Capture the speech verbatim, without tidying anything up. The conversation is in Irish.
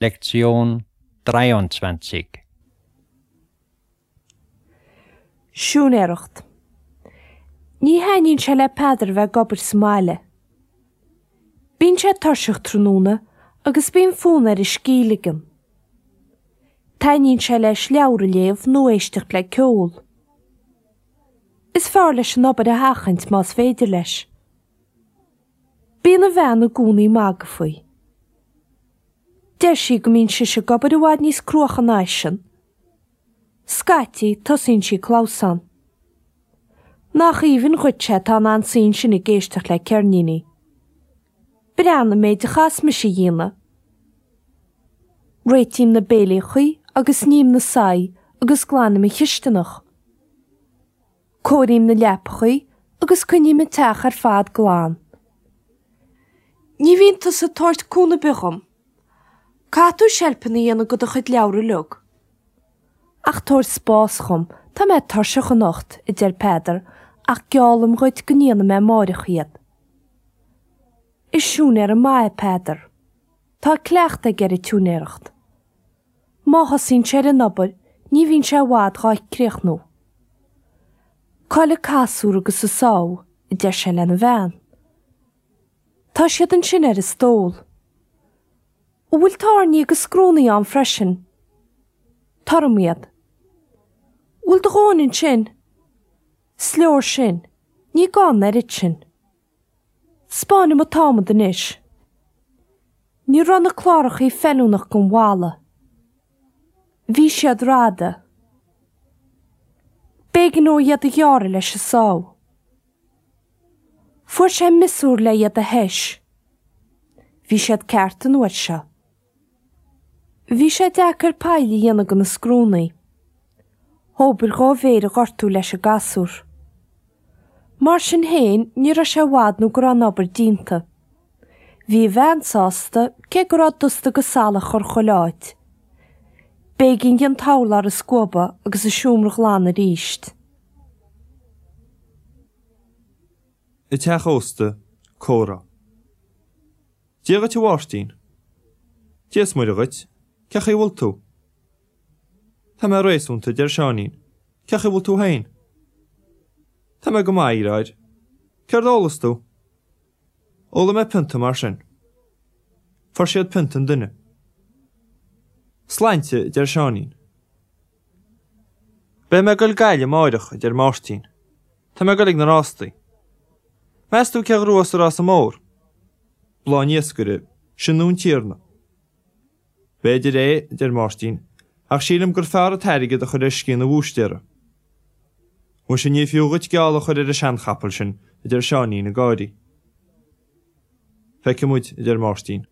Lektion dreiundzwanzig. Siúinéireacht. Ní thaitníonn sé le Peadar a bheith ag obair sa mbaile. Bíonn sé tuirseach tráthnóna agus bíonn fonn air a scíth a ligean. Taitníonn sé leis leabhar a léamh nó éisteacht le ceol. Is fearr leis an obair a sheachaint más féidir leis. Bíonn a bhean i gcónaí ag magadh faoi. Deir sí go mbíonn sise ag obair i bhfad níos cruacha ná eisean. Scaití, tosaíonn sí ag clamhsán. Nach aoibhinn dhuit é atá in ann suí ansin ag éisteacht le ceirníní. Breathnaigh an méid a chaitheas mise a dhéanamh. Réitím na béilíochaí agus ním na soithí agus glanaim an chisteanach. Cóirím na leapachaí agus coinním an teach ar fad glan. Ní bhíonn tusa ag tabhairt cúnamh ar bith dhom. Caithfidh tú seilpeanna a dhéanamh de do chuid leabhar uilig. Ach tabhair spás dhom, tá mé tuirseach anocht, a deir Peadar, ach geallaim dhuit go ndéanfaidh mé amáireach iad. Is siúinéara maith é Peadar. Tá cleachtadh aige ar an tsiúinéireacht. Má thosaíonn sé ar an obair, ní bhíonn sé i bhfad dhá críochnú. Cá bhfuil an casúr agus an sábh, a deir sé lena bhean. Tá siad ansin ar an stól. An bhfuil tairní agus scriúnna ann freisin? Tabhair dhom iad. An bhfuil do dhóthain ansin? Is leor sin. Ní gá an oiread sin. 'Spáin dhom an t-adhmad anois. Ní raibh na clárachaí feiliúnach don bhalla. Bhí siad rada. B'éigean dó iad a ghearradh leis an sábh. Fuair sé miosúr le iad a thois. Bhí siad ceart an uair seo. Bhí sé deacair poill a dhéanamh do na scriúnna. B'obair dhá mhéar a ghortú leis an gcasúr. Mar sin féin, ní raibh sé i bhfad nó go raibh an obair déanta. Bhí a bhean sásta, cé go raibh dusta agus salach ar chuile áit. B'éigean di an t-urlár a scuabadh agus an seomra a ghlanadh arís. I dteach ósta, comhrá. Dia dhuit a Mháirtín. Dia is Muire dhuit. Cén chaoi a bhfuil tú? Tá mé réasúnta, a deir Seáinín. Cén chaoi a bhfuil tú féin? Tá mé go maith, a dheartháir. Céard a ólas tú? Ólfaidh mé pionta mar sin. Fuair siad pionta an duine. Sláinte, a deir Seáinín. Beidh mé ag goil Gaillimh amáireach, a deir Máirtín. Tá mé ag goil ag na rástaí. Meas tú cé a ghnóthós an rása mór? Bláth an Iascaire, sin nó an Tiarna. B'fhéidir é, a deir Máirtín, ach sílim gur fearr an t-airgead a chur ar sciath an bhúistéara. Muise ní fiú dhuit geall a chur ar an seanchapall sin, a deir Seáinín ag gáirí. Feicfidh muid, a deir Máirtín.